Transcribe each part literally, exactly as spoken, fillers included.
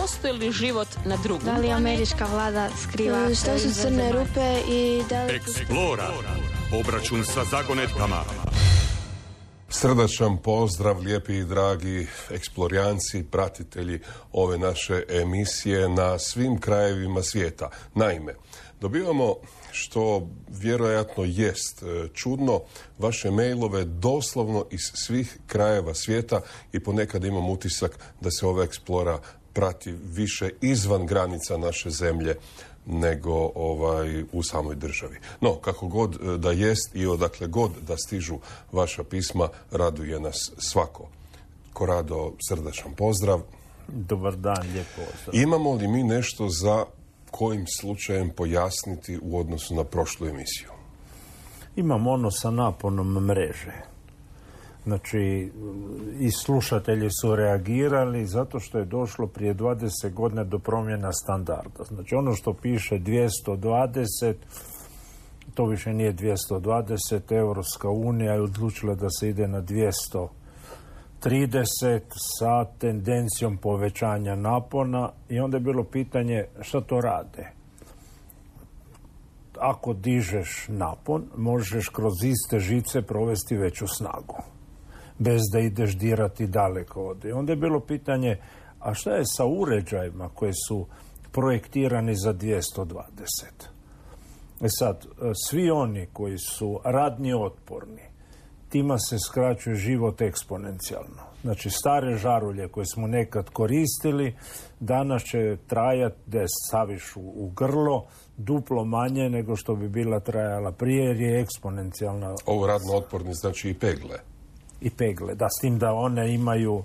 postoji li život na drugom? Da li američka vlada skriva? Što su crne rupe i da li... Eksplora. Obračun sa zagonetkama. Srdačan pozdrav, lijepi i dragi eksplorijanci, pratitelji ove naše emisije na svim krajevima svijeta. Naime, dobivamo, što vjerojatno jest čudno, vaše mailove doslovno iz svih krajeva svijeta i ponekad imam utisak da se ova eksplora prati više izvan granica naše zemlje nego ovaj u samoj državi. No, kako god da jest i odakle god da stižu vaša pisma, raduje nas svako. Korado, srdačan pozdrav. Dobar dan, lijep pozdrav. Imamo li mi nešto za kojim slučajem pojasniti u odnosu na prošlu emisiju? Imam ono sa naponom mreže. Znači, i slušatelji su reagirali zato što je došlo prije dvadeset godina do promjena standarda. Znači, ono što piše dvjesto dvadeset, to više nije dvjesto dvadeset, Europska unija je odlučila da se ide na dvjesto trideset sa tendencijom povećanja napona i onda je bilo pitanje šta to rade. Ako dižeš napon, možeš kroz iste žice provesti veću snagu, bez da ideš dirati daleko od. I onda je bilo pitanje, a šta je sa uređajima koji su projektirani za dvjesto dvadeset? E sad, svi oni koji su radni otporni, tima se skraćuje život eksponencijalno. Znači, stare žarulje koje smo nekad koristili, danas će trajati da je staviš u, u grlo duplo manje nego što bi bila trajala prije, jer je eksponencijalna. Ovo radno otporni znači i pegle. I pegle, da, s tim da one imaju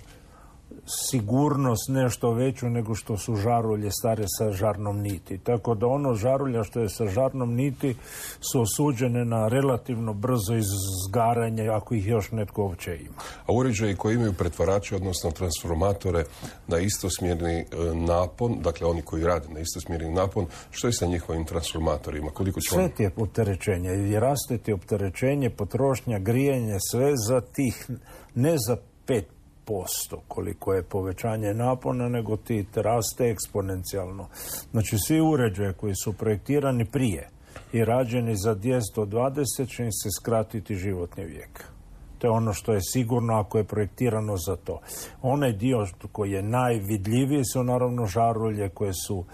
sigurnost nešto veću nego što su žarulje stare sa žarnom niti. Tako da ono žarulja što je sa žarnom niti su osuđene na relativno brzo izgaranje ako ih još netko uopće ima. A uređaji koji imaju pretvarače, odnosno transformatore na istosmjerni napon, dakle oni koji rade na istosmjerni napon, što je sa njihovim transformatorima? Koliko će sve on... ti je opterećenje. I raste ti opterećenje, potrošnja, grijanje, sve za tih, ne za pet posto koliko je povećanje napona, nego ti raste eksponencijalno. Znači, svi uređaje koji su projektirani prije i rađeni za dvjesto dvadeset će im se skratiti životni vijek. To je ono što je sigurno ako je projektirano za to. Onaj dio koji je najvidljiviji su naravno žarulje koje su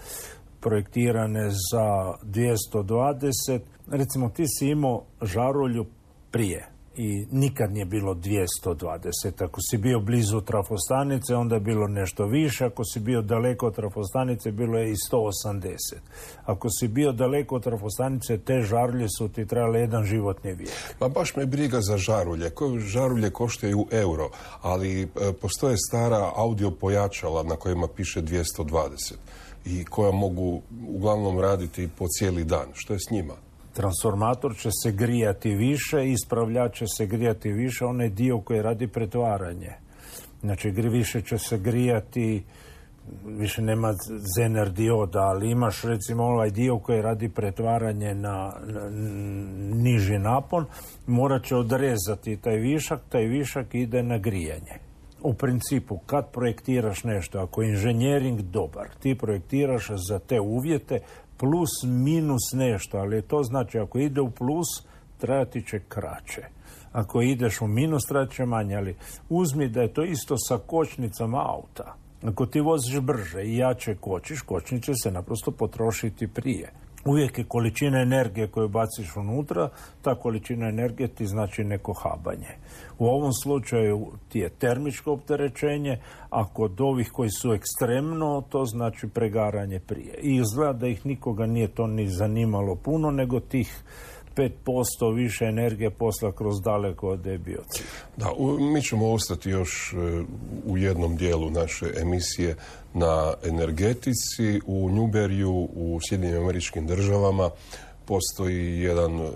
projektirane za dvjesto dvadeset. Recimo, ti si imao žarulju prije i nikad nije bilo dvjesto dvadeset. Ako si bio blizu trafostanice, onda je bilo nešto više. Ako si bio daleko od trafostanice, bilo je i sto osamdeset. Ako si bio daleko od trafostanice, te žarulje su ti trajale jedan životni vijek. Pa baš me briga za žarulje. Koje žarulje koštaju euro, ali e, postoje stara audio pojačala na kojima piše dvjesto dvadeset i koja mogu uglavnom raditi po cijeli dan. Što je s njima? Transformator će se grijati više, ispravljač će se grijati više, onaj dio koji radi pretvaranje. Znači, više će se grijati, više nema zener dioda, ali imaš recimo ovaj dio koji radi pretvaranje na, na niži napon, morat će odrezati taj višak, taj višak ide na grijanje. U principu, kad projektiraš nešto, ako je inženjering dobar, ti projektiraš za te uvjete, plus minus nešto, ali to znači ako ide u plus, trajati će kraće. Ako ideš u minus, trajati će manje, ali uzmi da je to isto sa kočnicama auta. Ako ti voziš brže i jače kočiš, kočnice će se naprosto potrošiti prije. Uvijek je količina energije koju baciš unutra, ta količina energije ti znači neko habanje. U ovom slučaju ti je termičko opterećenje, a kod ovih koji su ekstremno, to znači pregaranje prije. I izgleda da ih nikoga nije to ni zanimalo puno, nego tih pet posto više energije posla kroz daleko od biocida. Da, u, mi ćemo ostati još uh, u jednom dijelu naše emisije na energetici. U Newberryu u Sjedinjenim Američkim Državama postoji jedan uh,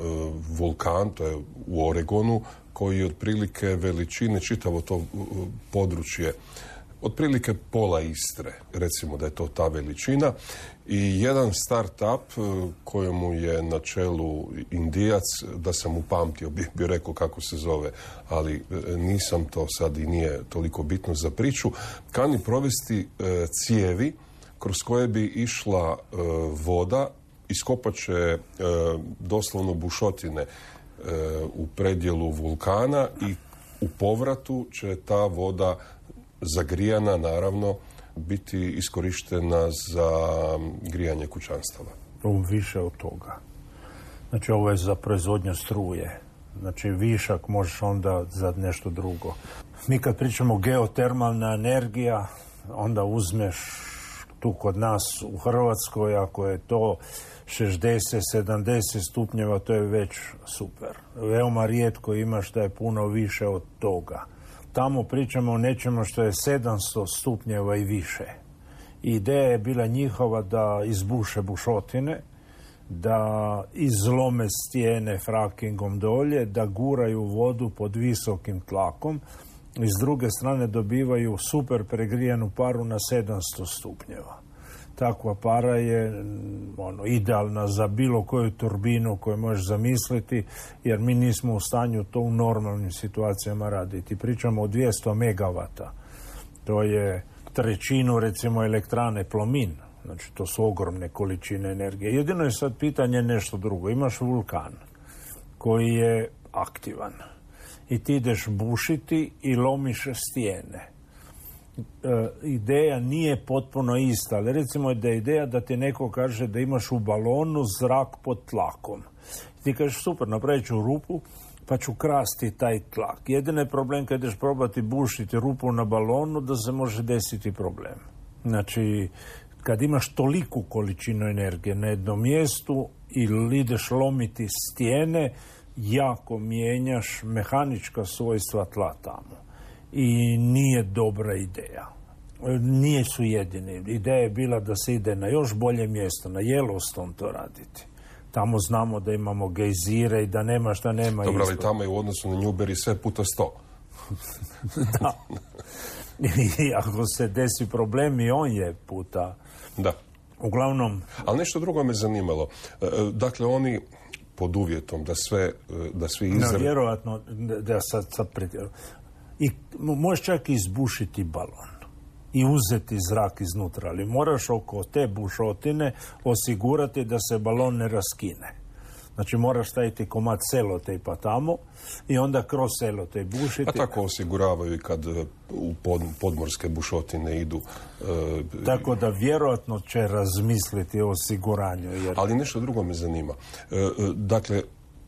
vulkan, to je u Oregonu, koji je otprilike veličine, čitavo to uh, područje, otprilike pola Istre, recimo da je to ta veličina, i jedan start-up kojemu je na čelu Indijac, da sam upamtio, bih bi rekao kako se zove, ali nisam, to sad i nije toliko bitno za priču, kani provesti e, cijevi kroz koje bi išla e, voda, iskopat će e, doslovno bušotine e, u predjelu vulkana i u povratu će ta voda zagrijana, naravno, biti iskorištena za grijanje kućanstava. Više od toga. Znači, ovo je za proizvodnju struje. Znači, višak možeš onda za nešto drugo. Mi kad pričamo geotermalna energija, onda uzmeš tu kod nas u Hrvatskoj, ako je to šezdeset sedamdeset stupnjeva, to je već super. Veoma rijetko imaš da je puno više od toga. Tamo pričamo o nečemu što je sedamsto stupnjeva i više. Ideja je bila njihova da izbuše bušotine, da izlome stijene frakingom dolje, da guraju vodu pod visokim tlakom i s druge strane dobivaju super pregrijanu paru na sedamsto stupnjeva. Takva para je ono, idealna za bilo koju turbinu koju možeš zamisliti, jer mi nismo u stanju to u normalnim situacijama raditi. Pričamo o dvjesto megavata. To je trećinu, recimo, elektrane Plomin. Znači, to su ogromne količine energije. Jedino je sad pitanje nešto drugo. Imaš vulkan koji je aktivan i ti ideš bušiti i lomiš stijene. E, ideja nije potpuno ista, ali recimo da je ideja da ti neko kaže da imaš u balonu zrak pod tlakom. Ti kažeš, super, napravit ću rupu pa ću krasti taj tlak. Jedini je problem kad ideš probati bušiti rupu na balonu da se može desiti problem. Znači, kad imaš toliku količinu energije na jednom mjestu ili ideš lomiti stijene, jako mijenjaš mehanička svojstva tla tamo. I nije dobra ideja. Nije su jedini. Ideja je bila da se ide na još bolje mjesto, na Yellowstone to raditi. Tamo znamo da imamo gejzire i da nema šta nema. Dobro, ali tamo je u odnosu na Newbery sve puta sto. Da. I ako se desi problem i on je puta. Da. Uglavnom... Ali nešto drugo me zanimalo. Dakle, oni pod uvjetom da sve, da svi izra... No, vjerojatno, da sad, sad pretjerujem. I možeš čak izbušiti balon i uzeti zrak iznutra, ali moraš oko te bušotine osigurati da se balon ne raskine. Znači, moraš staviti komad selotejpa tamo i onda kroz selotejp bušiti. A tako osiguravaju i kad u pod, podmorske bušotine idu. E, tako da vjerojatno će razmisliti o osiguranju. Jer... Ali nešto drugo me zanima. E, dakle,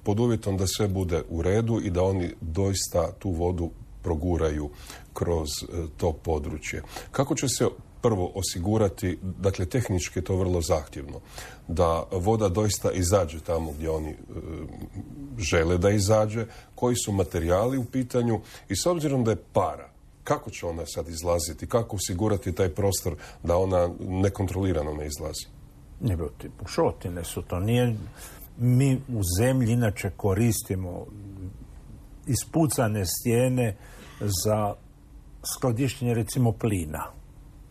pod uvjetom da sve bude u redu i da oni doista tu vodu proguraju kroz to područje. Kako će se prvo osigurati, dakle tehnički je to vrlo zahtjevno, da voda doista izađe tamo gdje oni e, žele da izađe, koji su materijali u pitanju i s obzirom da je para, kako će ona sad izlaziti, kako osigurati taj prostor da ona nekontrolirano ne izlazi? Ne, ti bušotine su to. Nije, mi u zemlji inače koristimo ispucane stijene za skladištenje recimo plina.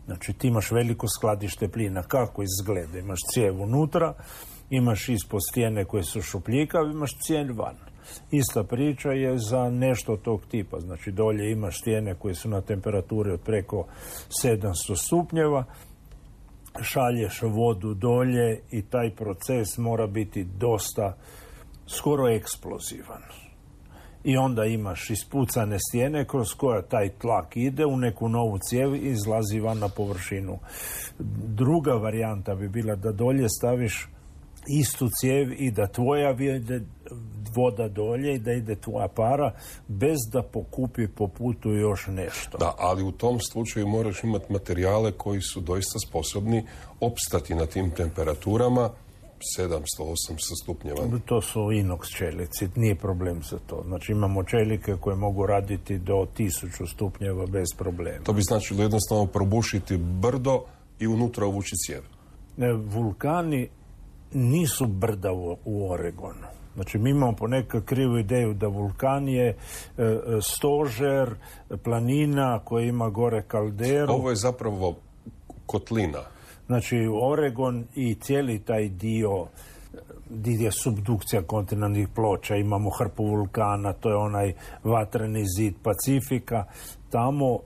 Znači ti imaš veliko skladište plina. Kako izgleda? Imaš cijev unutra, imaš ispod stijene koje su šupljikav, imaš cijev van. Ista priča je za nešto tog tipa. Znači dolje imaš stijene koje su na temperaturi od preko sedamsto stupnjeva, šalješ vodu dolje i taj proces mora biti dosta skoro eksplozivan. I onda imaš ispucane stijene kroz koja taj tlak ide u neku novu cijev i izlazi van na površinu. Druga varijanta bi bila da dolje staviš istu cijev i da tvoja ide voda dolje i da ide tvoja para bez da pokupi po putu još nešto. Da, ali u tom slučaju moraš imati materijale koji su doista sposobni opstati na tim temperaturama sedamsto osamsto stupnjeva. To su inox čelici, nije problem za to. Znači imamo čelike koje mogu raditi do tisuću stupnjeva bez problema. To bi značilo jednostavno probušiti brdo i unutra uvući cijev. Ne, vulkani nisu brda u, u Oregonu. Znači mi imamo ponekad krivu ideju da vulkan je e, stožer, planina koja ima gore kalderu. Ovo je zapravo kotlina. Znači, Oregon i cijeli taj dio gdje je subdukcija kontinentnih ploča, imamo hrpu vulkana, to je onaj vatreni zid Pacifika, tamo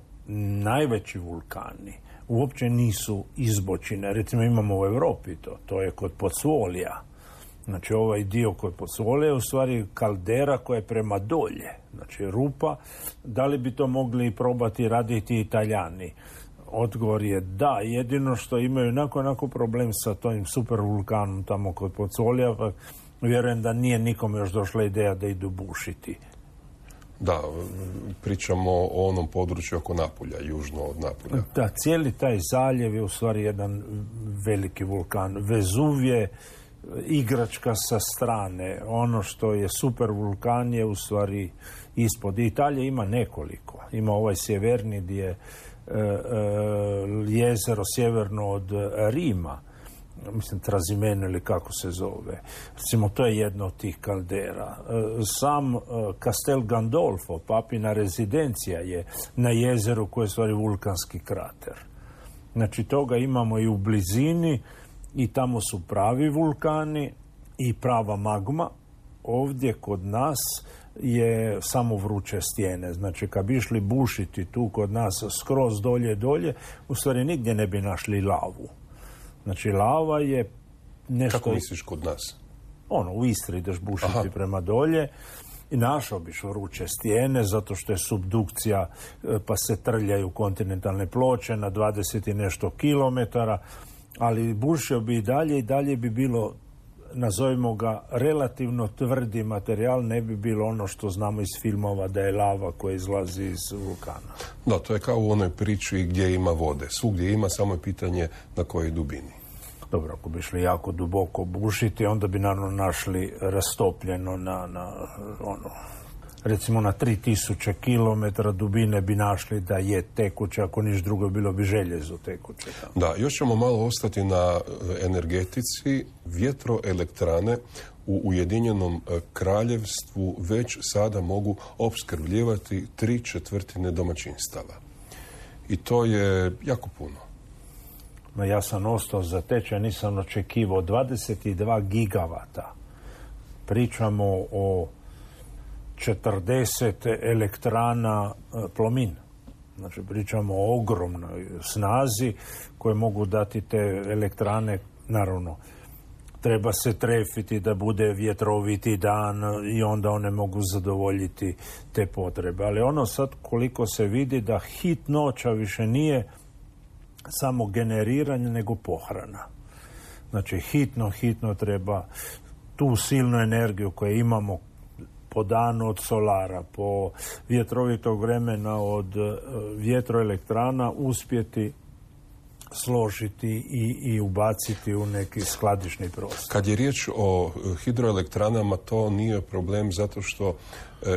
najveći vulkani uopće nisu izbočine. Recimo imamo u Europi to, to je kod Pozzuolija. Znači ovaj dio kod Pozzuolija je u stvari kaldera koja je prema dolje. Znači rupa, da li bi to mogli probati raditi Italijani? Odgovor je da, jedino što imaju onako, onako problem sa tojim supervulkanom tamo kod Pozzuolija, pa vjerujem da nije nikome još došla ideja da idu bušiti. Da, pričamo o onom području oko Napulja, južno od Napulja. Da, cijeli taj zaljev je u stvari jedan veliki vulkan. Vezuv je igračka sa strane. Ono što je super vulkan je u stvari ispod. Italija ima nekoliko. Ima ovaj sjeverni gdje je e, e, jezero sjeverno od Rima, mislim Trasimeno ili kako se zove. Recimo, to je jedno od tih kaldera. Sam Castel Gandolfo, papina rezidencija, je na jezeru koje je stvari vulkanski krater. Znači, toga imamo i u blizini i tamo su pravi vulkani i prava magma. Ovdje kod nas je samo vruće stijene. Znači, kad bi išli bušiti tu kod nas skroz dolje dolje, u stvari nigdje ne bi našli lavu. Znači, lava je nešto... Kako misliš kod nas? Ono, u Istri ideš bušiti Aha. prema dolje i našao biš vruće stijene zato što je subdukcija, pa se trljaju kontinentalne ploče na dvadeset i nešto kilometara, ali bušio bi i dalje i dalje bi bilo, nazovimo ga, relativno tvrdi materijal, ne bi bilo ono što znamo iz filmova da je lava koja izlazi iz vulkana. Da, to je kao u onoj priči gdje ima vode. Svugdje ima, samo je pitanje na kojoj dubini. Dobro, ako bi išli jako duboko bušiti, onda bi naravno našli rastopljeno na, na ono, recimo na tri tisuće kilometara dubine bi našli da je tekuće, ako niš drugo bilo bi željezo tekuće. Da, još ćemo malo ostati na energetici. Vjetroelektrane u Ujedinjenom Kraljevstvu već sada mogu opskrbljivati tri četvrtine domaćinstava. I to je jako puno. Ma ja sam ostao zatečen, nisam očekivao dvadeset dva gigavata. Pričamo o četrdeset elektrana Plomin. Znači, pričamo o ogromnoj snazi koje mogu dati te elektrane. Naravno, treba se trefiti da bude vjetroviti dan i onda one mogu zadovoljiti te potrebe. Ali ono sad koliko se vidi da hitnoća više nije samo generiranje, nego pohrana. Znači, hitno, hitno treba tu silnu energiju koju imamo po danu od solara, po vjetrovitog vremena od vjetroelektrana uspjeti složiti i, i ubaciti u neki skladišni prostor. Kad je riječ o hidroelektranama, to nije problem zato što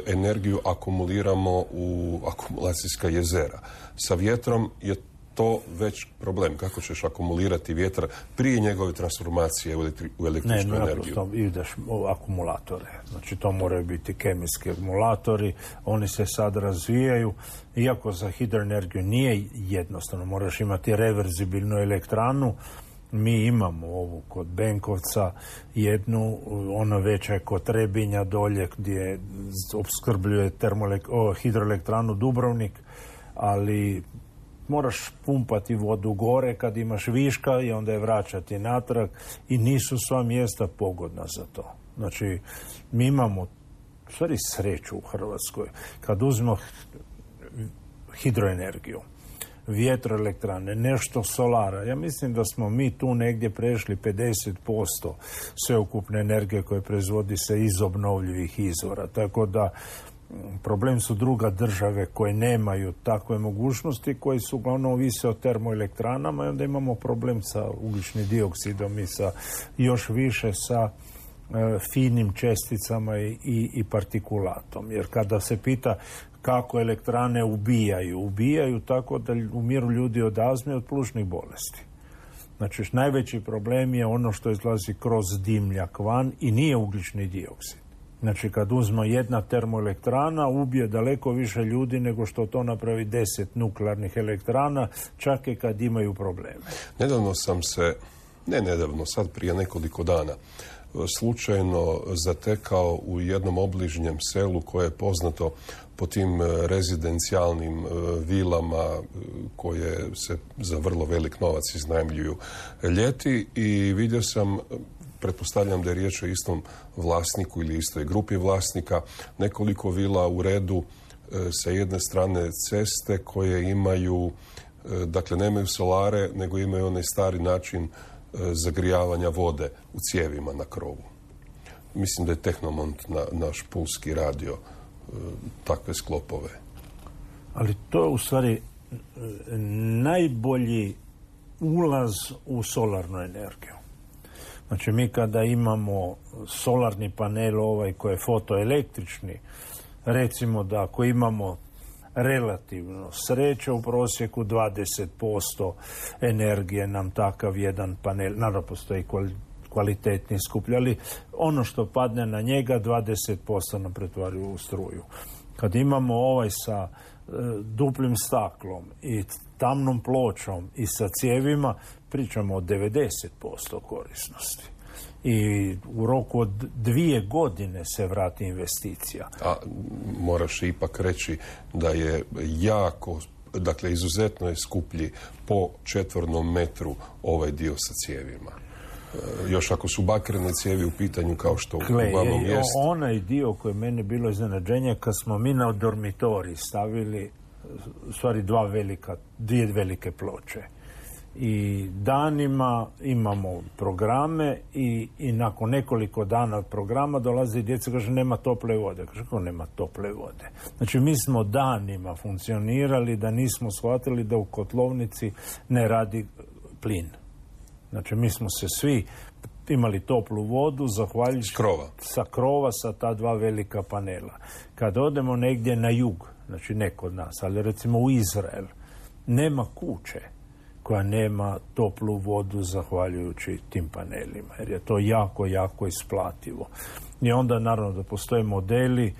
energiju akumuliramo u akumulacijska jezera. Sa vjetrom je to već problem. Kako ćeš akumulirati vjetar prije njegove transformacije u, elektri, u električnu ne, energiju? Ne, ideš u akumulatore. Znači, to moraju biti kemijski akumulatori. Oni se sad razvijaju. Iako za hidroenergiju nije jednostavno. Moraš imati reverzibilnu elektranu. Mi imamo ovu kod Benkovca jednu, ona veća je kod Trebinja dolje gdje opskrbljuje hidroelektranu Dubrovnik, ali moraš pumpati vodu gore kad imaš viška i onda je vraćati natrag i nisu sva mjesta pogodna za to. Znači, mi imamo u stvari sreću u Hrvatskoj. Kad uzmemo hidroenergiju, vjetroelektrane, nešto solara, ja mislim da smo mi tu negdje prešli pedeset posto sveukupne energije koje proizvodi se iz obnovljivih izvora. Tako da problem su druga države koje nemaju takve mogućnosti, koji su uglavnom ovise o termoelektranama i onda imamo problem sa ugljičnim dioksidom i sa još više sa e, finim česticama i, i, i partikulatom. Jer kada se pita kako elektrane ubijaju, ubijaju tako da umiru ljudi od azme i od plućnih bolesti. Znači, najveći problem je ono što izlazi kroz dimljak van i nije ugljični dioksid. Znači, kad uzme jedna termoelektrana, ubije daleko više ljudi nego što to napravi deset nuklearnih elektrana, čak i kad imaju probleme. Nedavno sam se, ne nedavno, sad prije nekoliko dana, slučajno zatekao u jednom obližnjem selu koje je poznato po tim rezidencijalnim vilama koje se za vrlo velik novac iznajmljuju ljeti i vidio sam, pretpostavljam da je riječ o istom vlasniku ili istoj grupi vlasnika, nekoliko vila u redu sa jedne strane ceste koje imaju, dakle nemaju solare, nego imaju onaj stari način zagrijavanja vode u cijevima na krovu. Mislim da je Tehnomont na, naš pulski radio takve sklopove. Ali to je u stvari najbolji ulaz u solarnu energiju. Znači mi kada imamo solarni panel ovaj koji je fotoelektrični, recimo da ako imamo relativno sreće u prosjeku dvadeset posto energije nam takav jedan panel, naravno postoji kvalitetni skuplji, ali ono što padne na njega dvadeset posto nam pretvaraju u struju. Kad imamo ovaj sa e, duplim staklom i tamnom pločom i sa cijevima, pričamo o devedeset posto korisnosti. I u roku od dvije godine se vrati investicija. A moraš ipak reći da je jako, dakle izuzetno je skuplji po četvornom metru ovaj dio sa cijevima. E, još ako su bakrene cijevi u pitanju kao što uglavnom jest. Onaj dio koji je meni bilo iznenađenje kad smo mi na dormitorij stavili u stvari dva velika, dvije velike ploče. I danima imamo programe i, i nakon nekoliko dana programa dolazi djeca i kaže nema tople vode. Kaže kako nema tople vode? Znači mi smo danima funkcionirali da nismo shvatili da u kotlovnici ne radi plin. Znači mi smo se svi imali toplu vodu zahvaljujući krova. sa krova sa ta dva velika panela. Kad odemo negdje na jug, znači ne kod nas, ali recimo u Izrael, nema kuće koja nema toplu vodu zahvaljujući tim panelima, jer je to jako, jako isplativo. I onda naravno da postoje modeli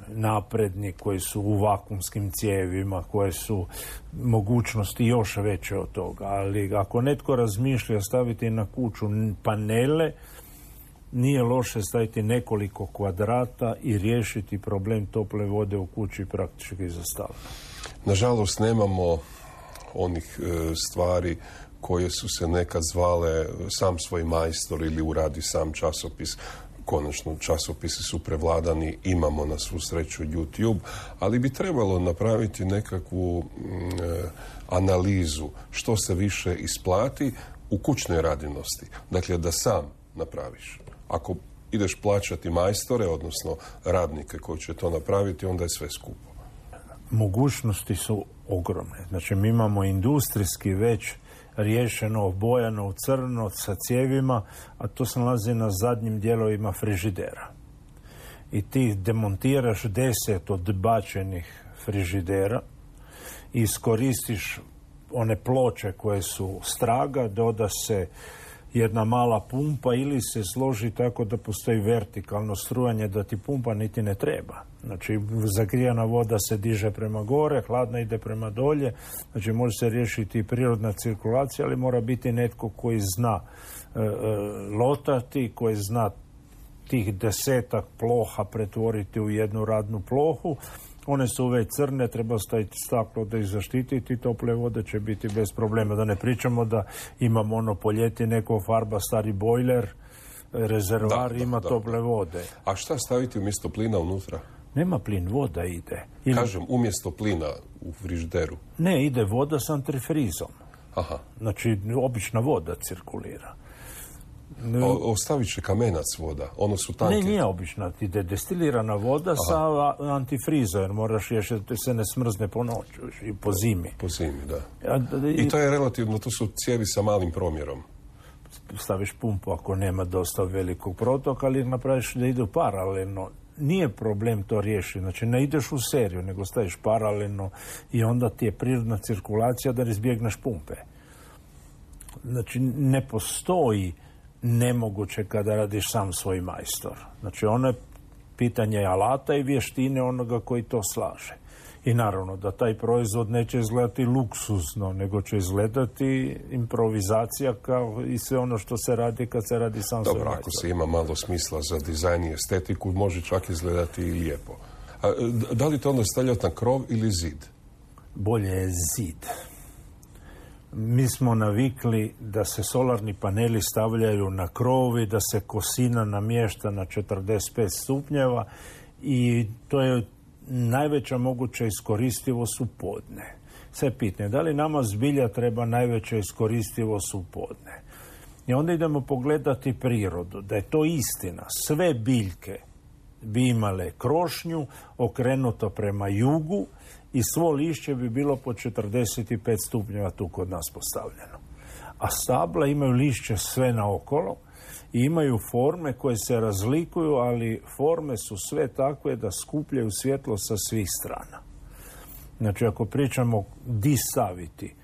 napredni koji su u vakumskim cijevima, koje su mogućnosti još veće od toga, ali ako netko razmišlja staviti na kuću panele, nije loše staviti nekoliko kvadrata i riješiti problem tople vode u kući praktički za stalno. Nažalost, nemamo onih e, stvari koje su se nekad zvale sam svoj majstor ili uradi sam časopis. Konačno, časopisi su prevladani, imamo na svu sreću YouTube, ali bi trebalo napraviti nekakvu e, analizu što se više isplati u kućnoj radinosti. Dakle, da sam napraviš. Ako ideš plaćati majstore, odnosno radnike koji će to napraviti, onda je sve skupo. Mogućnosti su ogromne. Znači, mi imamo industrijski već riješeno, obojano u crno sa cijevima, a to se nalazi na zadnjim dijelovima frižidera. I ti demontiraš deset odbačenih frižidera i iskoristiš one ploče koje su straga, doda se jedna mala pumpa ili se složi tako da postoji vertikalno strujanje da ti pumpa niti ne treba. Znači, zagrijana voda se diže prema gore, hladna ide prema dolje, znači može se riješiti i prirodna cirkulacija, ali mora biti netko koji zna e, e, lotati, koji zna tih desetak ploha pretvoriti u jednu radnu plohu. One su već crne, treba staviti staklo da ih zaštititi, tople vode će biti bez problema. Da ne pričamo da imamo ono po ljeti neko farba stari bojler, rezervoar, ima da, tople da. vode. A šta staviti umjesto plina unutra? Nema plin, voda ide. Ili... Kažem, umjesto plina u frižideru. Ne, ide voda s antifrizom. Aha. Znači, obična voda cirkulira. O, ostavit će kamenac voda, ono su tanke. Ne, nije obična, ide destilirana voda Aha. sa antifrizom, jer moraš još da se ne smrzne po noću i po zimi. Po zimi, da. A, i, I to je relativno, to su cijevi sa malim promjerom. Staviš pumpu ako nema dosta velikog protoka, ali napraviš da idu paralelno. Nije problem to riješiti, znači ne ideš u seriju, nego staviš paralelno i onda ti je prirodna cirkulacija da izbjegneš pumpe. Znači, ne postoji nemoguće kada radiš sam svoj majstor. Znači, ono je pitanje alata i vještine onoga koji to slaže. I naravno da taj proizvod neće izgledati luksuzno, nego će izgledati improvizacija kao i sve ono što se radi kad se radi sam svoj Dobro, ako se ima malo smisla za dizajn i estetiku, može čak izgledati i lijepo. A, da li to onda stavljati na krov ili zid? Bolje je zid. Mi smo navikli da se solarni paneli stavljaju na krovi, da se kosina namješta na četrdeset pet stupnjeva i to je najveća moguća iskoristivost u podne. Sve pitanje, da li nama zbilja treba najveća iskoristivost u podne? I onda idemo pogledati prirodu, da je to istina. Sve biljke bi imale krošnju okrenuto prema jugu i svo lišće bi bilo po četrdeset pet stupnjeva tu kod nas postavljeno. A stabla imaju lišće sve naokolo i imaju forme koje se razlikuju, ali forme su sve takve da skupljaju svjetlo sa svih strana. Znači, ako pričamo di staviti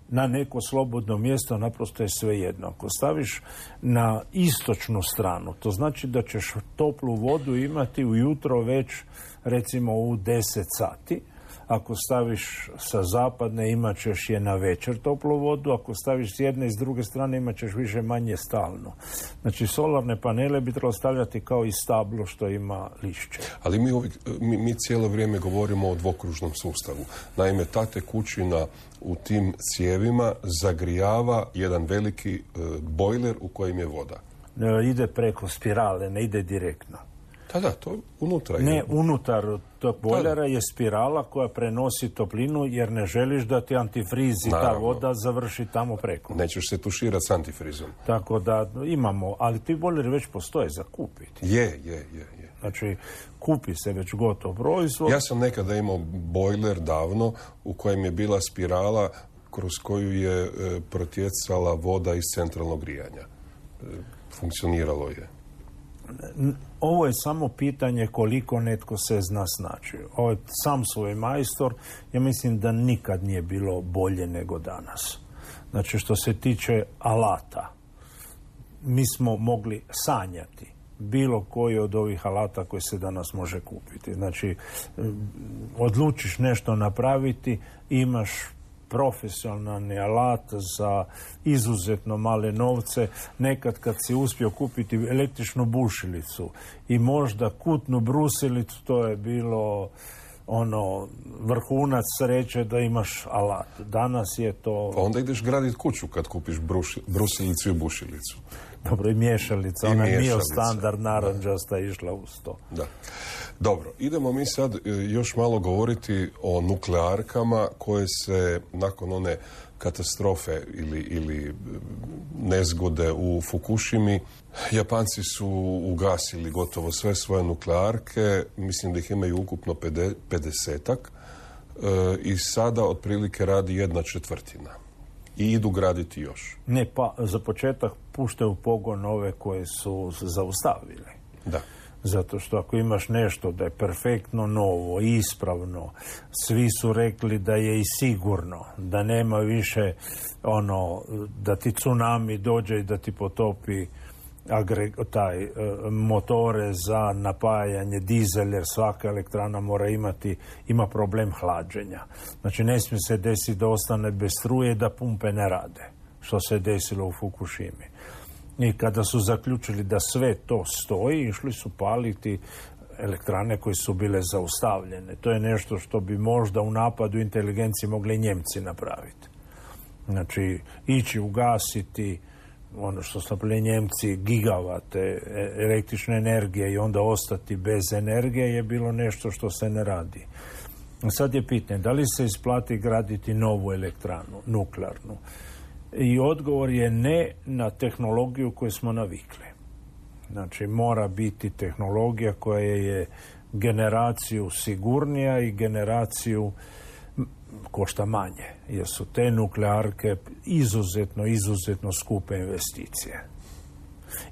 na neko slobodno mjesto, naprosto je sve jedno. Ako staviš na istočnu stranu, to znači da ćeš toplu vodu imati ujutro već, recimo, u deset sati. Ako staviš sa zapadne, imat ćeš je na večer toplu vodu. Ako staviš s jedne i s druge strane, imat ćeš više manje stalno. Znači, solarne panele bi trebalo stavljati kao i stablo što ima lišće. Ali mi, uvijek, mi, mi cijelo vrijeme govorimo o dvokružnom sustavu. Naime, ta tekućina u tim cijevima zagrijava jedan veliki e, bojler u kojem je voda. E, ide preko spirale, ne ide direktno. Da, da, to unutra je. Ne, unutar tog bojlera je spirala koja prenosi toplinu jer ne želiš da ti antifriz i ta voda završi tamo preko. Nećeš se tuširati s antifrizom. Tako da imamo, ali ti bojleri već postoje za kupiti. Je, je, je, je. Znači, kupi se već gotov proizvod. Ja sam nekada imao bojler davno u kojem je bila spirala kroz koju je e, protjecala voda iz centralnog grijanja. E, funkcioniralo je. Ovo je samo pitanje koliko netko se zna snaći. Ovo je sam svoj majstor. Ja mislim da nikad nije bilo bolje nego danas. Znači, što se tiče alata, mi smo mogli sanjati bilo koji od ovih alata koji se danas može kupiti. Znači, odlučiš nešto napraviti, imaš profesionalni alat za izuzetno male novce. Nekad kad si uspio kupiti električnu bušilicu i možda kutnu brusilicu, to je bilo ono vrhunac sreće da imaš alat. Danas je to... Pa onda ideš graditi kuću kad kupiš bruši, brusilicu i bušilicu. Dobro, i miješalica. Ona je bio standard naranđasta išla uz to. Da. Dobro, idemo mi sad još malo govoriti o nuklearkama koje se nakon one katastrofe ili, ili nezgode u Fukushimi, Japanci su ugasili gotovo sve svoje nuklearke, mislim da ih imaju ukupno pedesetak e, i sada otprilike radi jedna četvrtina. I idu graditi još. Ne, pa za početak puštaju u pogon ove koje su zaustavili. Da. Zato što ako imaš nešto da je perfektno novo, ispravno, svi su rekli da je i sigurno, da nema više ono, da ti tsunami dođe i da ti potopi agreg, taj, e, motore za napajanje, dizel, jer svaka elektrana mora imati, ima problem hlađenja. Znači ne smije se desiti da ostane bez struje, da pumpe ne rade, što se desilo u Fukushimi. I kada su zaključili da sve to stoji, išli su paliti elektrane koje su bile zaustavljene. To je nešto što bi možda u napadu inteligencije mogli Njemci napraviti. Znači, ići ugasiti ono što su napravili Njemci, gigavate električne energije i onda ostati bez energije je bilo nešto što se ne radi. Sad je pitanje, da li se isplati graditi novu elektranu, nuklearnu? I odgovor je ne na tehnologiju koju smo navikli. Znači, mora biti tehnologija koja je generaciju sigurnija i generaciju košta manje, jer su te nuklearke izuzetno, izuzetno skupe investicije.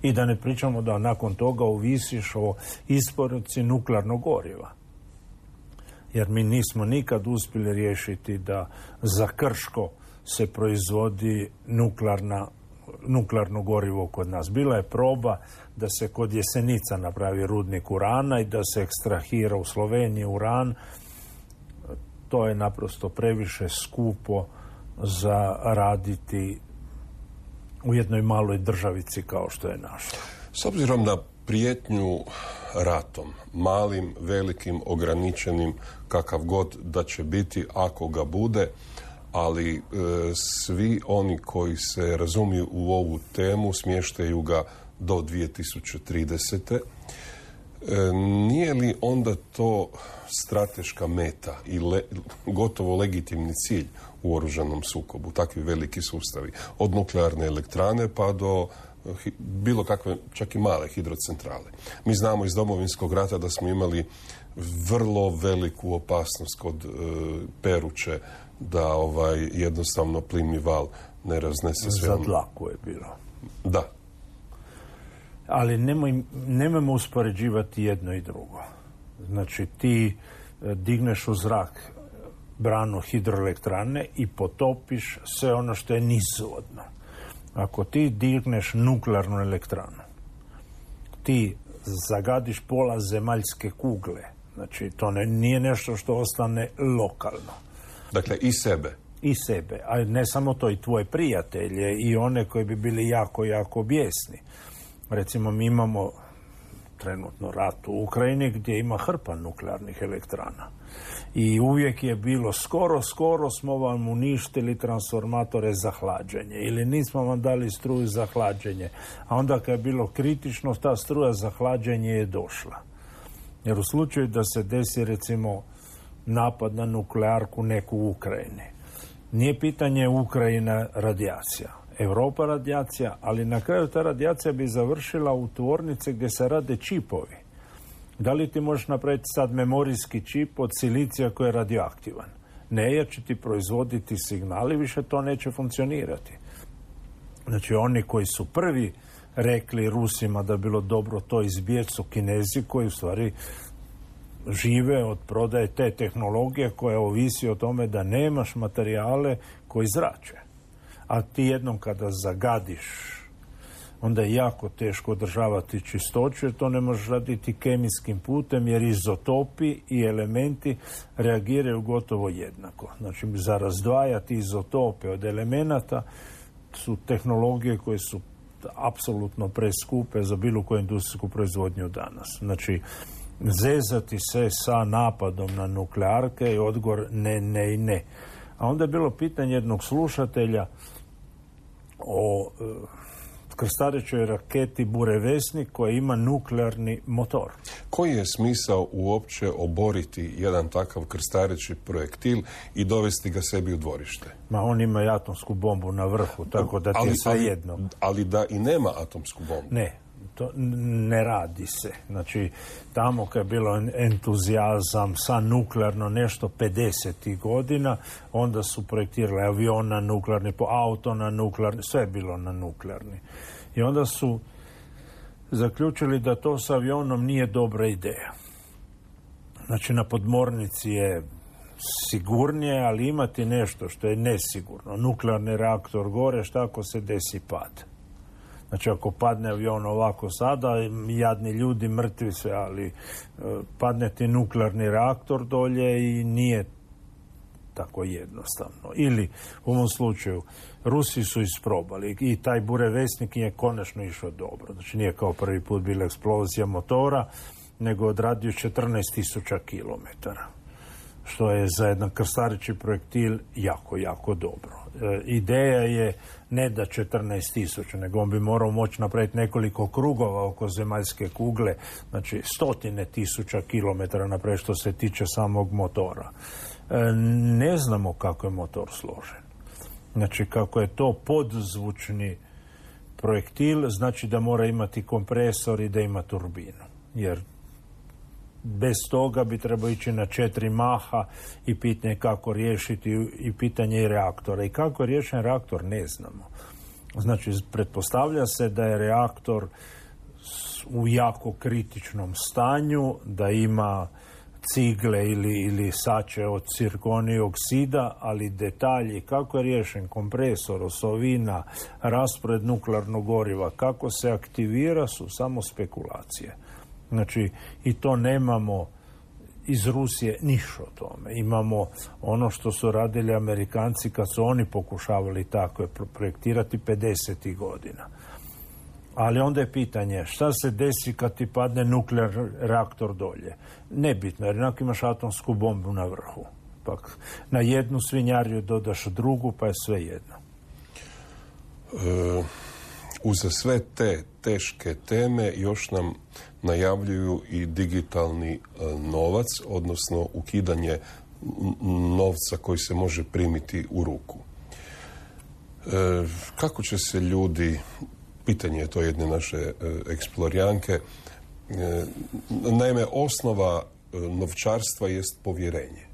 I da ne pričamo da nakon toga ovisiš o isporuci nuklearnog goriva. Jer mi nismo nikad uspjeli riješiti da za Krško se proizvodi nuklearna, nuklearno gorivo kod nas. Bila je proba da se kod Jesenica napravi rudnik urana i da se ekstrahira u Sloveniji uran. to je naprosto previše skupo za raditi u jednoj maloj državici kao što je naša. S obzirom na prijetnju ratom, malim, velikim, ograničenim, kakav god da će biti ako ga bude, ali e, svi oni koji se razumiju u ovu temu smještaju ga do dvije tisuće tridesete. E, nije li onda to strateška meta i le, gotovo legitimni cilj u oružanom sukobu, takvi veliki sustavi, od nuklearne elektrane pa do bilo kakve, čak i male hidrocentrale. Mi znamo iz Domovinskog rata da smo imali vrlo veliku opasnost kod e, Peruče da ovaj jednostavno plimni val ne raznese sve. Za dlaku je bilo. Da. Ali nemoj, nemojmo uspoređivati jedno i drugo. Znači ti e, digneš u zrak branu hidroelektrane i potopiš sve ono što je nizvodno. Ako ti digneš nuklearnu elektranu, ti zagadiš pola zemaljske kugle. Znači, to ne, nije nešto što ostane lokalno. Dakle, i sebe. I sebe. A ne samo to, i tvoje prijatelje i one koji bi bili jako, jako bijesni. Recimo, mi imamo trenutno rat u Ukrajini gdje ima hrpa nuklearnih elektrana. I uvijek je bilo skoro, skoro smo vam uništili transformatore za hlađenje ili nismo vam dali struju za hlađenje. A onda kad je bilo kritično, ta struja za hlađenje je došla. Jer u slučaju da se desi recimo napad na nuklearku neku u Ukrajini, nije pitanje Ukrajina radijacija. Europa radijacija, ali na kraju ta radijacija bi završila u tvornici gdje se rade čipovi. Da li ti možeš napraviti sad memorijski čip od silicija koji je radioaktivan? Ne, jer će ti proizvoditi signali, više to neće funkcionirati. Znači, oni koji su prvi rekli Rusima da bi bilo dobro to izbjeći su Kinezi koji u stvari žive od prodaje te tehnologije koja ovisi o tome da nemaš materijale koji zrače. A ti jednom kada zagadiš, onda je jako teško održavati čistoću, jer to ne možeš raditi kemijskim putem, jer izotopi i elementi reagiraju gotovo jednako. Znači, za razdvajati izotope od elemenata su tehnologije koje su apsolutno preskupe za bilo koju industrijsku proizvodnju danas. Znači, zezati se sa napadom na nuklearke je odgovor ne, ne i ne. A onda je bilo pitanje jednog slušatelja o e, krstarećoj raketi Burevesnik koja ima nuklearni motor. Koji je smisao uopće oboriti jedan takav krstareći projektil i dovesti ga sebi u dvorište? Ma on ima i atomsku bombu na vrhu, tako da ti je sve jedno. Ali, ali da i nema atomsku bombu? Ne, to ne radi se. Znači, tamo kad je bilo entuzijazam sa nuklearno nešto pedesetih godina, onda su projektirali avion na nuklearni, po auto na nuklearni, sve je bilo na nuklearni. I onda su zaključili da to s avionom nije dobra ideja. Znači, na podmornici je sigurnije, ali imati nešto što je nesigurno. Nuklearni reaktor gore, šta ako se desi pad? Znači, ako padne avion ovako sada, jadni ljudi, mrtvi sve, ali e, padne ti nuklearni reaktor dolje i nije tako jednostavno. Ili, u ovom slučaju, Rusi su isprobali i taj Burevesnik je konačno išao dobro. Znači, nije kao prvi put bila eksplozija motora, nego odradio četrnaest tisuća kilometara. Što je za jedan krstareći projektil jako, jako dobro. E, ideja je ne da četrnaest tisuća, nego on bi morao moći napraviti nekoliko krugova oko zemaljske kugle, znači stotine tisuća kilometara napraviti što se tiče samog motora. E, ne znamo kako je motor složen. Znači, kako je to podzvučni projektil, znači da mora imati kompresor i da ima turbinu. Jer bez toga bi trebao ići na četiri maha i pitanje kako riješiti i pitanje i reaktora. I kako je riješen reaktor, ne znamo. Znači, pretpostavlja se da je reaktor u jako kritičnom stanju, da ima cigle ili, ili sače od cirkonij oksida, ali detalji kako je riješen kompresor, osovina, raspored nuklearnog goriva, kako se aktivira su samo spekulacije. Znači, i to nemamo iz Rusije ništa o tome. Imamo ono što su radili Amerikanci kad su oni pokušavali tako projektirati pedesetih godina. Ali onda je pitanje šta se desi kad ti padne nuklearni reaktor dolje. Nebitno, jer jednako imaš atomsku bombu na vrhu. Pak na jednu svinjariju dodaš drugu, pa je sve jedno. E, uz sve te teške teme još nam najavljuju i digitalni e, novac, odnosno ukidanje novca koji se može primiti u ruku. E, kako će se ljudi, pitanje je to jedne naše e, eksplorijanke, e, naime, osnova e, novčarstva jest povjerenje.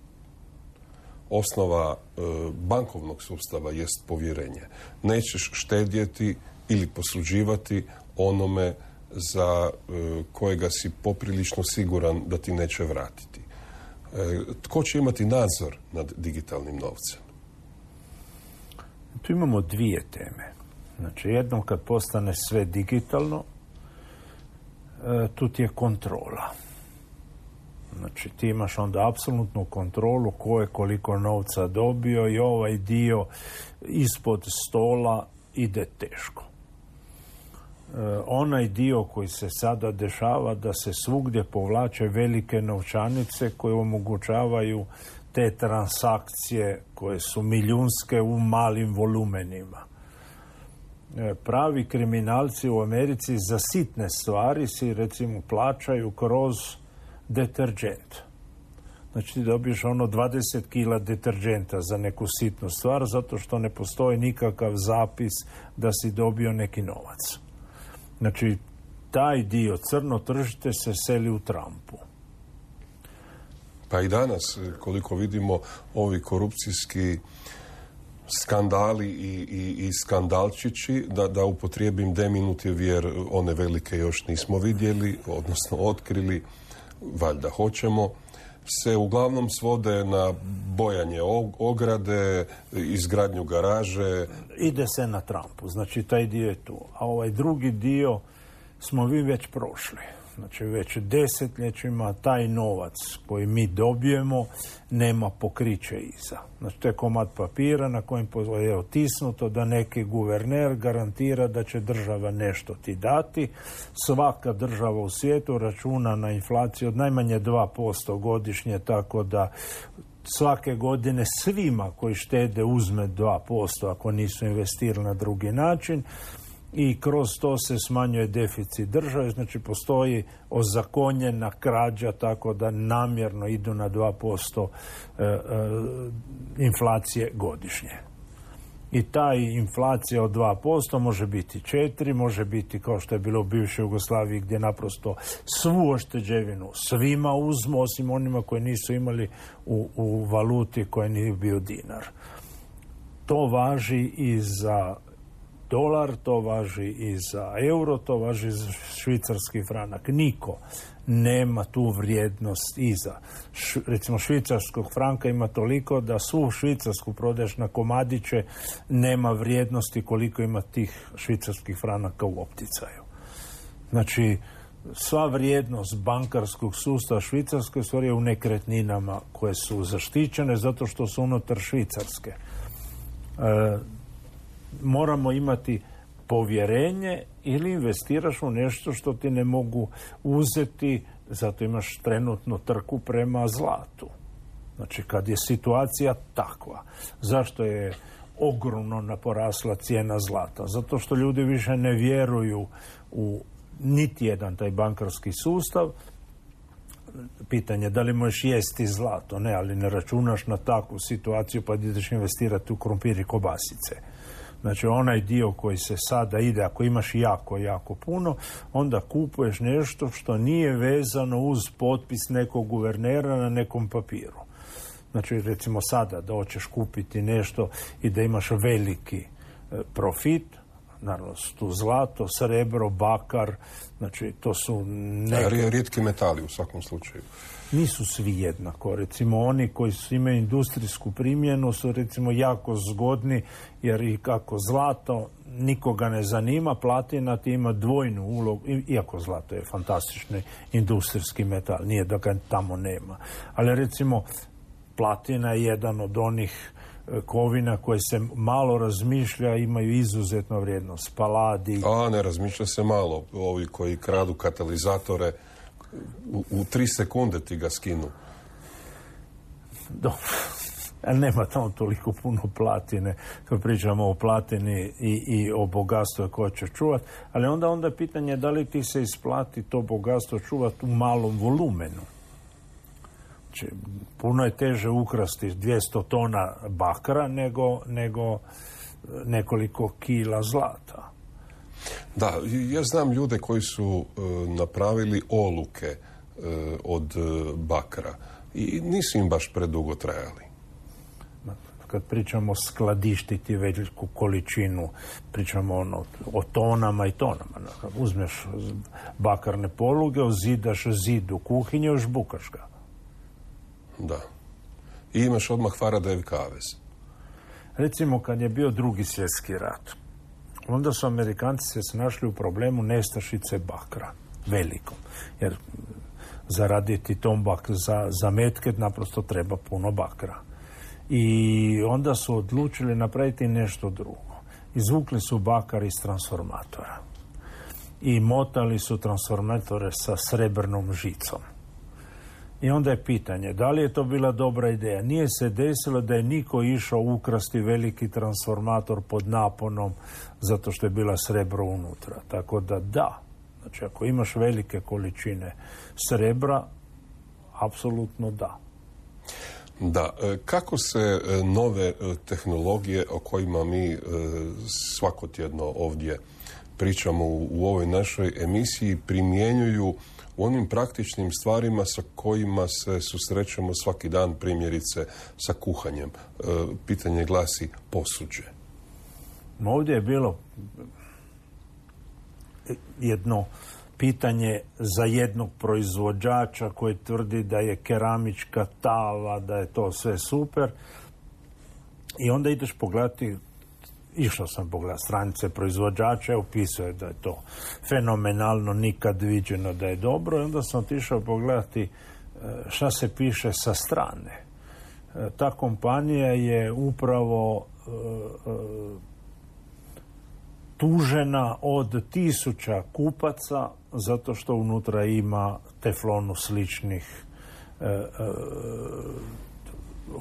Osnova e, bankovnog sustava jest povjerenje. Nećeš štedjeti ili posuđivati onome za e, kojega si poprilično siguran da ti neće vratiti. E, tko će imati nadzor nad digitalnim novcem? Tu imamo dvije teme. Znači, jednom kad postane sve digitalno, e, tu ti je kontrola. Znači, ti imaš onda apsolutnu kontrolu ko je koliko novca dobio i ovaj dio ispod stola ide teško. E, onaj dio koji se sada dešava da se svugdje povlače velike novčanice koje omogućavaju te transakcije koje su milijunske u malim volumenima. E, pravi kriminalci u Americi za sitne stvari si recimo plaćaju kroz deterđent. Znači ti dobiješ ono dvadeset kila deterđenta za neku sitnu stvar zato što ne postoji nikakav zapis da si dobio neki novac. Znači taj dio crno tržište se seli u Trumpu. Pa i danas, koliko vidimo, ovi korupcijski skandali i, i, i skandalčići, da, da upotrijebim deminutiv jer one velike još nismo vidjeli, odnosno otkrili, valjda hoćemo, se uglavnom svode na bojanje ograde, izgradnju garaže. Ide se na Trumpu, znači taj dio je tu. A ovaj drugi dio smo vi već prošli. Znači već desetljećima taj novac koji mi dobijemo nema pokriće iza. Znači to je komad papira na kojem je otisnuto da neki guverner garantira da će država nešto ti dati. Svaka država u svijetu računa na inflaciju od najmanje dva posto godišnje, tako da svake godine svima koji štede uzme dva posto ako nisu investirali na drugi način. I kroz to se smanjuje deficit države, znači postoji ozakonjena krađa tako da namjerno idu na dva posto e, e, inflacije godišnje. I ta inflacija od dva posto može biti četiri, može biti kao što je bilo u bivšoj Jugoslaviji gdje naprosto svu ošteđevinu svima uzmu, osim onima koji nisu imali u, u valuti koja nije bio dinar. To važi i za dolar, to važi i za euro, to važi i za švicarski franak. Niko nema tu vrijednost iza. Š, recimo švicarskog franka ima toliko da svu švicarsku prodaješ na komadiće, nema vrijednosti koliko ima tih švicarskih franaka u opticaju. Znači, sva vrijednost bankarskog sustava Švicarske stvari je u nekretninama koje su zaštićene zato što su unutar Švicarske. E, moramo imati povjerenje ili investiraš u nešto što ti ne mogu uzeti, zato imaš trenutno trku prema zlatu. Znači kad je situacija takva. Zašto je ogromno naporasla cijena zlata? Zato što ljudi više ne vjeruju u niti jedan taj bankarski sustav. Pitanje da li možeš jesti zlato? Ne, ali ne računaš na takvu situaciju pa ideš investirati u krumpir i kobasice. Znači onaj dio koji se sada ide, ako imaš jako, jako puno, onda kupuješ nešto što nije vezano uz potpis nekog guvernera na nekom papiru. Znači recimo sada da hoćeš kupiti nešto i da imaš veliki profit, naravno su tu zlato, srebro, bakar, znači to su neke... Rijetki metali u svakom slučaju. Nisu svi jednako. Recimo oni koji su imaju industrijsku primjenu su recimo jako zgodni jer i kako zlato nikoga ne zanima, platina ti ima dvojnu ulogu, iako zlato je fantastični industrijski metal, nije da ga tamo nema. Ali recimo platina je jedan od onih kovina koje se malo razmišlja, imaju izuzetnu vrijednost. Paladi. A ne razmišlja se malo. Ovi koji kradu katalizatore u, u tri sekunde ti ga skinu. Dobro. Nema tamo toliko puno platine. Kad pričamo o platini i, i o bogatstvu koje će čuvati. Ali onda onda je pitanje da li ti se isplati to bogatstvo čuvati u malom volumenu. Znači, puno je teže ukrasti dvjesto tona bakra nego, nego nekoliko kila zlata. Da, ja znam ljude koji su e, napravili oluke e, od e, bakra i nisu im baš predugo trajali. Kad pričamo skladištiti veliku količinu, pričamo ono, o tonama i tonama. Uzmeš bakarne poluge, ozidaš zid u kuhinju, još bukaš ga. Da. I imaš odmah Faradayev kavez. Recimo kad je bio drugi svjetski rat, onda su Amerikanci se snašli u problemu nestašice bakra, velikom. Jer zaraditi tombak za, za metke naprosto treba puno bakra. I onda su odlučili napraviti nešto drugo. Izvukli su bakar iz transformatora. I motali su transformatore sa srebrnom žicom. I onda je pitanje, da li je to bila dobra ideja? Nije se desilo da je niko išao ukrasti veliki transformator pod naponom zato što je bila srebro unutra. Tako da da, znači ako imaš velike količine srebra, apsolutno da. Da, kako se nove tehnologije o kojima mi svakotjedno ovdje pričamo u ovoj našoj emisiji primjenjuju u onim praktičnim stvarima sa kojima se susrećemo svaki dan, primjerice sa kuhanjem? Pitanje glasi posuđe. Ovdje je bilo jedno pitanje za jednog proizvođača koji tvrdi da je keramička tava, da je to sve super. I onda ideš pogledati, išao sam pogledati stranice proizvođača, opisuje da je to fenomenalno, nikad viđeno da je dobro. I onda sam otišao pogledati šta se piše sa strane. Ta kompanija je upravo tužena od tisuća kupaca zato što unutra ima teflonu sličnih e, e,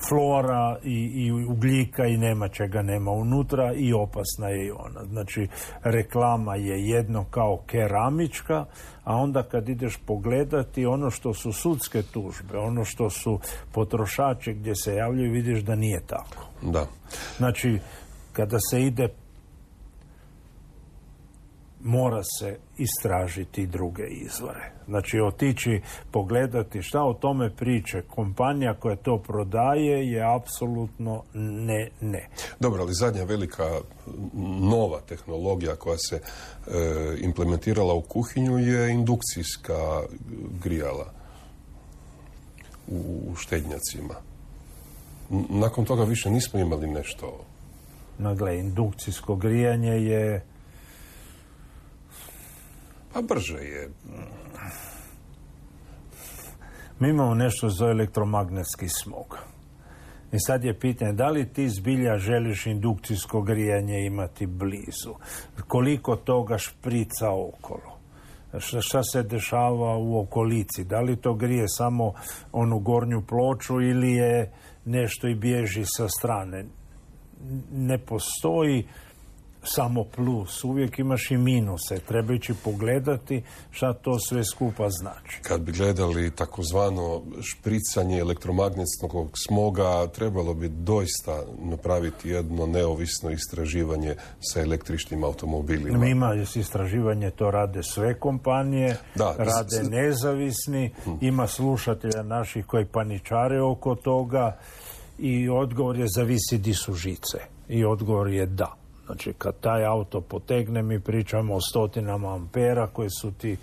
flora i, i ugljika i nema čega nema unutra i opasna je i ona. Znači, reklama je jedno kao keramička, a onda kad ideš pogledati ono što su sudske tužbe, ono što su potrošači gdje se javljaju, vidiš da nije tako. Da. Znači, kada se ide mora se istražiti druge izvore. Znači, otići pogledati šta o tome priče kompanija koja to prodaje je apsolutno ne, ne. Dobro, ali zadnja velika nova tehnologija koja se e, implementirala u kuhinju je indukcijska grijala u, u štednjacima. Nakon toga više nismo imali nešto. Nagle, indukcijsko grijanje je pa brže je. Mi imamo nešto za elektromagnetski smog. I sad je pitanje, da li ti zbilja želiš indukcijsko grijanje imati blizu? Koliko toga šprica okolo? Šta, šta se dešava u okolici? Da li to grije samo onu gornju ploču ili je nešto i bježi sa strane? Ne postoji samo plus, uvijek imaš i minuse. Treba ići pogledati šta to sve skupa znači. Kad bi gledali takozvano špricanje elektromagnetskog smoga, trebalo bi doista napraviti jedno neovisno istraživanje sa električnim automobilima. Ima istraživanje, to rade sve kompanije, da, rade z... nezavisni, hmm. ima slušatelja naših koji paničare oko toga i odgovor je zavisi di su žice. I odgovor je da. Znači, kad taj auto potegne, mi pričamo o stotinama ampera koji su ti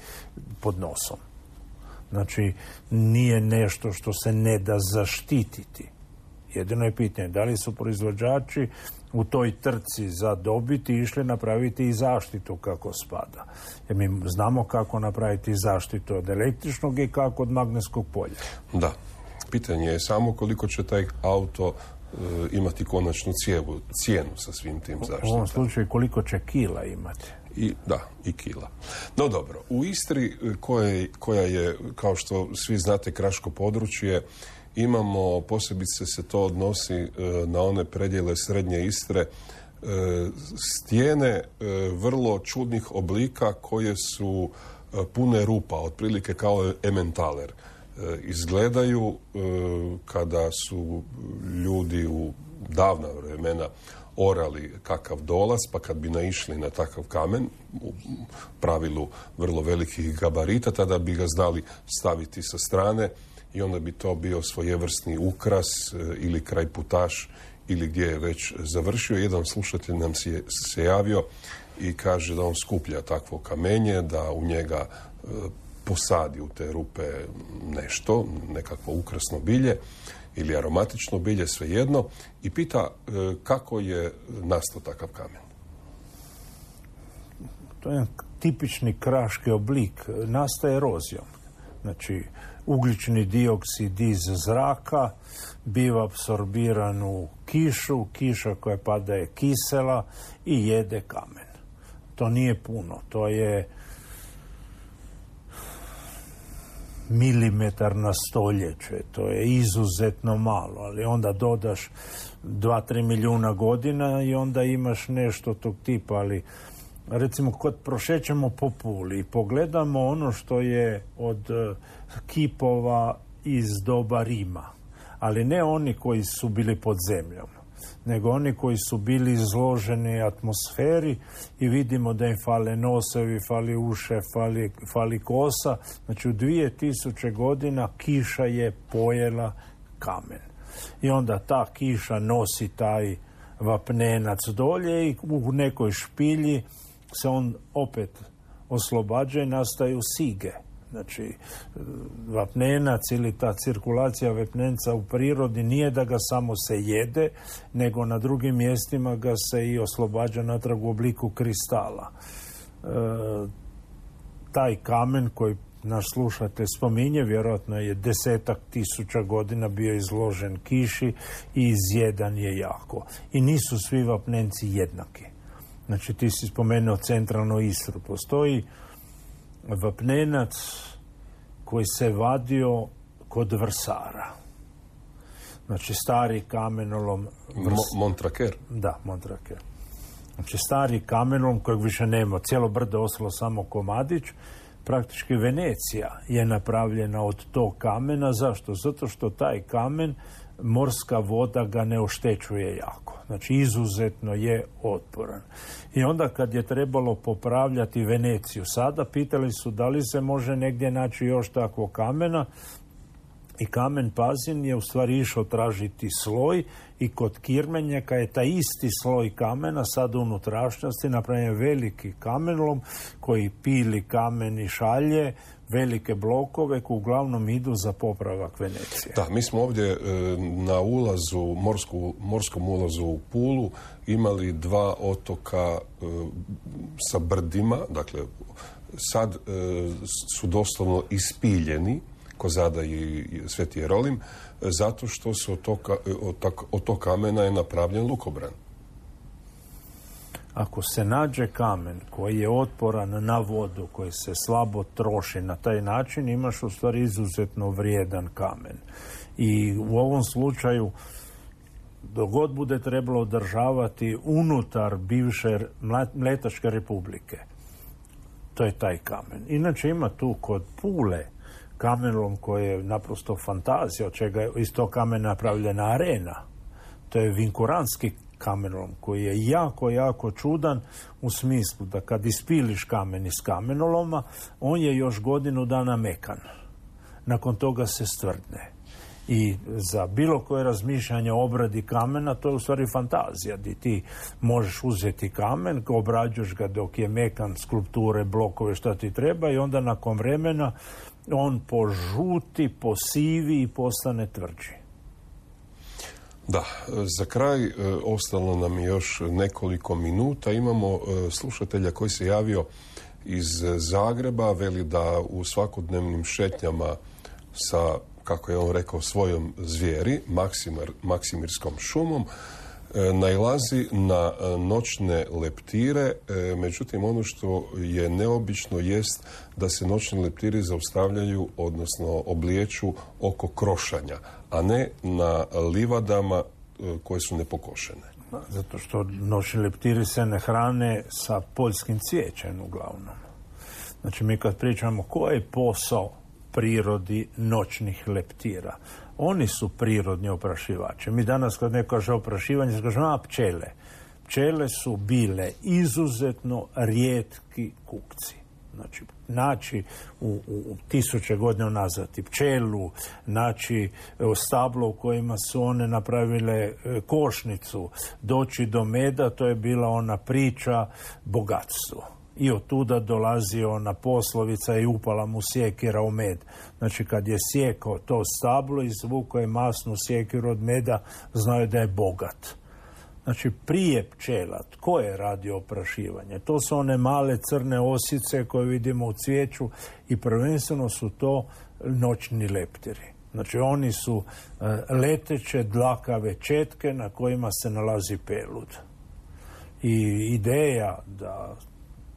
pod nosom. Znači, nije nešto što se ne da zaštititi. Jedino je pitanje, da li su proizvođači u toj trci za dobiti išli napraviti i zaštitu kako spada. Jer mi znamo kako napraviti zaštitu od električnog i kako od magnetskog polja. Da. Pitanje je samo koliko će taj auto e, imati konačnu cijevu, cijenu sa svim tim zaštitama. U ovom slučaju koliko će kila imati. I, da, i kila. No dobro, u Istri koje, koja je, kao što svi znate, kraško područje, imamo, posebice se to odnosi e, na one predjele srednje Istre, e, stijene e, vrlo čudnih oblika koje su e, pune rupa, otprilike kao ementaler. E, izgledaju e, kada su ljudi u davna vremena orali kakav dolaz, pa kad bi naišli na takav kamen, u pravilu vrlo velikih gabarita, tada bi ga znali staviti sa strane i onda bi to bio svojevrsni ukras e, ili krajputaš ili gdje je već završio. Jedan slušatelj nam se, se javio i kaže da on skuplja takvo kamenje, da u njega e, posadi u te rupe nešto, nekakvo ukrasno bilje ili aromatično bilje, svejedno, i pita e, kako je nastao takav kamen. To je tipični kraški oblik, nastaje erozijom. Znači, ugljični dioksid iz zraka biva apsorbiran u kišu, kiša koja pada je kisela i jede kamen. To nije puno, to je milimetar na stoljeće, to je izuzetno malo, ali onda dodaš dva do tri milijuna godina i onda imaš nešto tog tipa, ali recimo kad prošećemo po Puli i pogledamo ono što je od kipova iz doba Rima, ali ne oni koji su bili pod zemljom, nego oni koji su bili izloženi atmosferi i vidimo da im fale nosevi, fali uše, fali, fali kosa. Znači u dvije tisuće godina kiša je pojela kamen. I onda ta kiša nosi taj vapnenac dolje i u nekoj špilji se on opet oslobađa i nastaju sige. Znači, vapnenac ili ta cirkulacija vapnenca u prirodi nije da ga samo se jede, nego na drugim mjestima ga se i oslobađa natrag u obliku kristala. E, taj kamen koji naš slušatelj spominje, vjerojatno je desetak tisuća godina bio izložen kiši i izjedan je jako. I nisu svi vapnenci jednaki. Znači, ti si spomenuo centralnu Istru. Postoji vapnenac koji se vadio kod vrsara. Znači, stari kamenolom... Vrs... Mo- Montraker. Da, Montraker. Znači, stari kamenolom kojeg više nema. Cijelo brdo ostalo samo komadić. Praktički Venecija je napravljena od tog kamena. Zašto? Zato što taj kamen, morska voda ga ne oštećuje jako. Znači, izuzetno je otporan. I onda kad je trebalo popravljati Veneciju sada, pitali su da li se može negdje naći još takvog kamena. I kamen Pazin je u stvari išao tražiti sloj i kod Kirmenjaka je taj isti sloj kamena sad u unutrašnjosti napravljen veliki kamenlom koji pili kamen i šalje velike blokove koji uglavnom idu za popravak Venecije. Da, mi smo ovdje e, na ulazu, morsku, morskom ulazu u Pulu imali dva otoka e, sa brdima, dakle sad e, su doslovno ispiljeni, Kozada i Sveti Jerolim, zato što se od tog, od tog kamena je napravljen lukobran. Ako se nađe kamen koji je otporan na vodu, koji se slabo troši na taj način, imaš u stvari izuzetno vrijedan kamen. I u ovom slučaju, dok god bude trebalo održavati unutar bivše Mletačke republike, to je taj kamen. Inače ima tu kod Pule kamenolom koji je naprosto fantazija, od čega je iz tog kamena napravljena arena. To je vinkuranski kamenolom koji je jako, jako čudan u smislu da kad ispiliš kamen iz kamenoloma, on je još godinu dana mekan. Nakon toga se stvrdne. I za bilo koje razmišljanje o obradi kamena, to je u stvari fantazija, di ti možeš uzeti kamen, obrađuješ ga dok je mekan, skulpture, blokove, šta ti treba, i onda nakon vremena on požuti, posivi i postane tvrđi. Da, za kraj e, ostalo nam je još nekoliko minuta. Imamo e, slušatelja koji se javio iz Zagreba, veli da u svakodnevnim šetnjama sa, kako je on rekao, svojom zvijeri, Maksimir, Maksimirskom šumom, e, nailazi na e, noćne leptire, e, međutim ono što je neobično jest da se noćni leptiri zaustavljaju, odnosno oblijeću oko krošanja, a ne na livadama e, koje su nepokošene. Zato što noćni leptiri se ne hrane sa poljskim cvijećem uglavnom. Znači mi kad pričamo koji je posao prirodi noćnih leptira, oni su prirodni oprašivači. Mi danas kad neko kaže oprašivanje, se kažemo, a pčele. Pčele su bile izuzetno rijetki kukci. Znači, naći u, u, u tisuće godina nazad i pčelu, naći stablo u kojima su one napravile e, košnicu, doći do meda, to je bila ona priča bogatstvo. I od tuda dolazi ona poslovica i upala mu sjekira u med. Znači, kad je sjekao to stablo, izvukao je masnu sjekiru od meda, znao je da je bogat. Znači, prije pčela, tko je radio oprašivanje? To su one male crne osice koje vidimo u cvijeću i prvenstveno su to noćni leptiri. Znači, oni su uh, leteće dlakave četke na kojima se nalazi pelud. I ideja da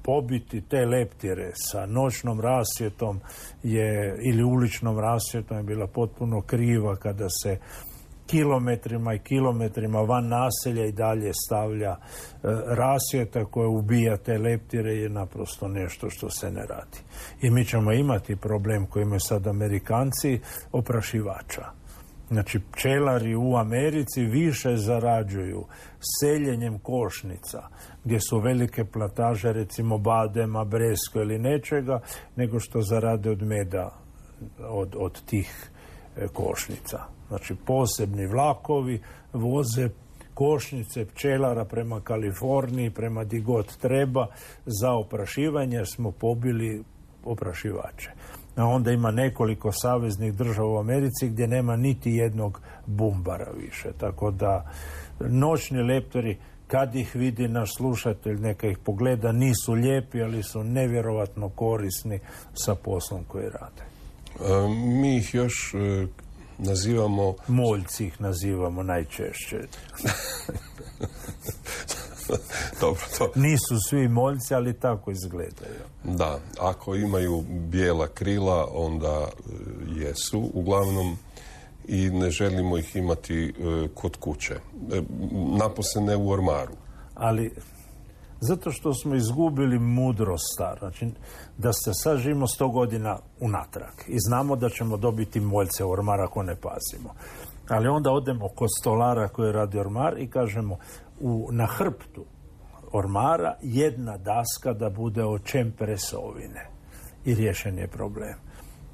pobiti te leptire sa noćnom rasvjetom je, ili uličnom rasvjetom je bila potpuno kriva kada se kilometrima i kilometrima van naselja i dalje stavlja e, rasvjeta koja ubija te leptire, je naprosto nešto što se ne radi. I mi ćemo imati problem koji imaju sad Amerikanci, oprašivača. Znači, pčelari u Americi više zarađuju seljenjem košnica, gdje su velike plataže, recimo badema, bresko ili nečega, nego što zarade od meda od, od tih e, košnica. Znači, posebni vlakovi voze košnice pčelara prema Kaliforniji, prema di god treba, za oprašivanje, jer smo pobili oprašivače. A onda ima nekoliko saveznih država u Americi gdje nema niti jednog bumbara više. Tako da noćni leptori, kad ih vidi naš slušatelj, neka ih pogleda, nisu lijepi, ali su nevjerovatno korisni sa poslom koji rade. A, mi ih još e, nazivamo... Moljci ih nazivamo najčešće. Dobro, to... Nisu svi moljci, ali tako izgledaju. Da, ako imaju bijela krila, onda e, jesu uglavnom, i ne želimo ih imati e, kod kuće. E, napose ne u ormaru. Ali zato što smo izgubili mudrost staru. Znači, da se sad živimo sto godina unatrag i znamo da ćemo dobiti moljce u ormar ako ne pazimo. Ali onda odemo kod stolara koji radi ormar i kažemo, u, na hrptu ormara jedna daska da bude od čempresovine. I riješen je problem.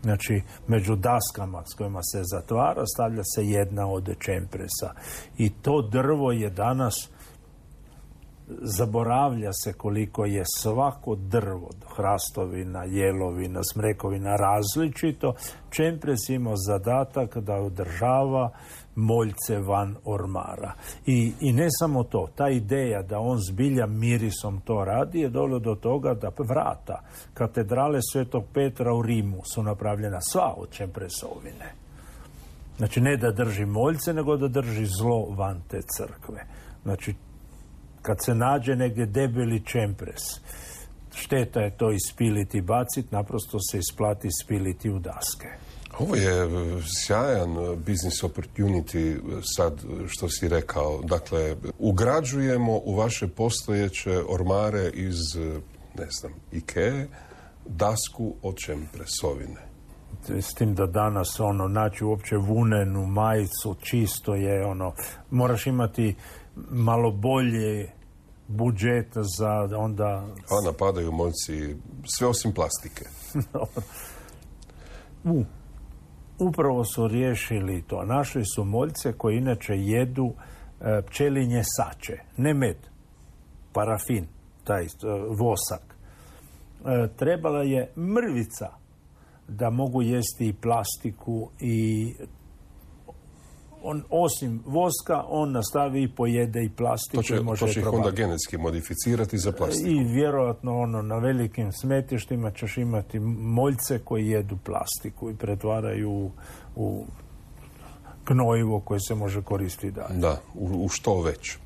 Znači, među daskama s kojima se zatvara stavlja se jedna od čempresa. I to drvo je danas, zaboravlja se koliko je svako drvo, hrastovina, jelovina, smrekovina, različito. Čempres ima zadatak da održava moljce van ormara. I, i ne samo to, ta ideja da on zbilja mirisom to radi je dovelo do toga da vrata katedrale Svetog Petra u Rimu su napravljena sva od čempresovine. Znači, ne da drži moljce, nego da drži zlo van te crkve. Znači, kad se nađe negdje debeli čempres, šteta je to ispiliti i baciti, naprosto se isplati ispiliti u daske. Ovo je sjajan business opportunity sad što si rekao. Dakle, ugrađujemo u vaše postojeće ormare iz, ne znam, Ikee, dasku od čempresovine. S tim da danas ono, naći uopće vunenu majicu, čisto je ono, moraš imati malo bolje budžet za onda... A napadaju moljci sve osim plastike. u, upravo su riješili to. Našli su moljce koji inače jedu e, pčelinje sače, ne med, parafin, taj e, vosak. E, trebala je mrvica da mogu jesti i plastiku i on, osim voska, on nastavi i pojede i plastiku. To će, i može to će ih onda genetski modificirati za plastiku. I vjerojatno ono, na velikim smetištima ćeš imati moljce koji jedu plastiku i pretvaraju u, u gnojivo koje se može koristiti dalje. Da, u, u što već.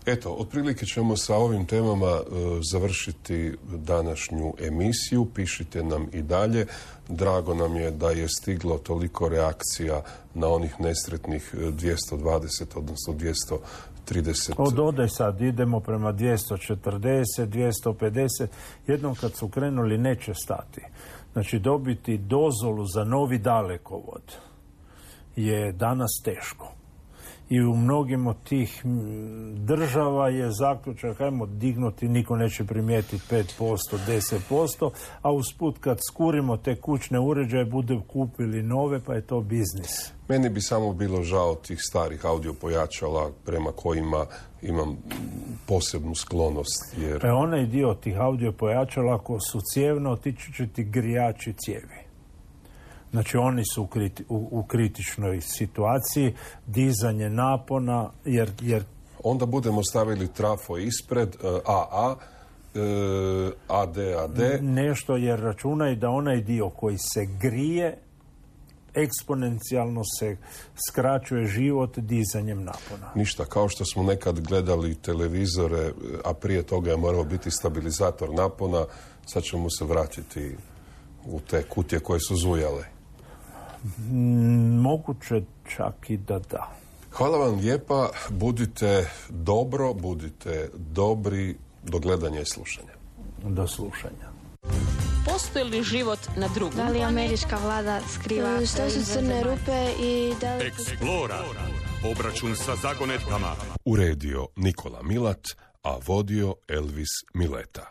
Eto, otprilike ćemo sa ovim temama e, završiti današnju emisiju. Pišite nam i dalje. Drago nam je da je stiglo toliko reakcija na onih nesretnih dvjesto dvadeset, odnosno dvjesto trideset. Od ode sad idemo prema dvjesto četrdeset, dvjesto pedeset. Jednom kad su krenuli neće stati. Znači dobiti dozvolu za novi dalekovod je danas teško. I u mnogim od tih država je zaključak, hajmo dignuti, niko neće primijetiti pet posto, deset posto, a usput kad skurimo te kućne uređaje, bude kupili nove, pa je to biznis. Meni bi samo bilo žao tih starih audio pojačala prema kojima imam posebnu sklonost. Jer... E onaj dio tih audio pojačala, ako su cijevno, otići će ti grijači cijevi. Znači oni su u, kriti, u, u kritičnoj situaciji, dizanje napona, jer, jer... Onda budemo stavili trafo ispred, A A, A D A D. Nešto, jer računaj da onaj dio koji se grije, eksponencijalno se skraćuje život dizanjem napona. Ništa, kao što smo nekad gledali televizore, a prije toga je morao biti stabilizator napona, sad ćemo se vratiti u te kutije koje su zujale. Moguće čak i da da. Hvala vam lijepa, budite dobro, budite dobri, do gledanja i slušanja. Do slušanja. Postoji li život na drugom? Da li američka vlada skriva Što su crne rupe i da li... Explora. Obračun sa zagonetkama. Uredio Nikola Milat, a vodio Elvis Mileta.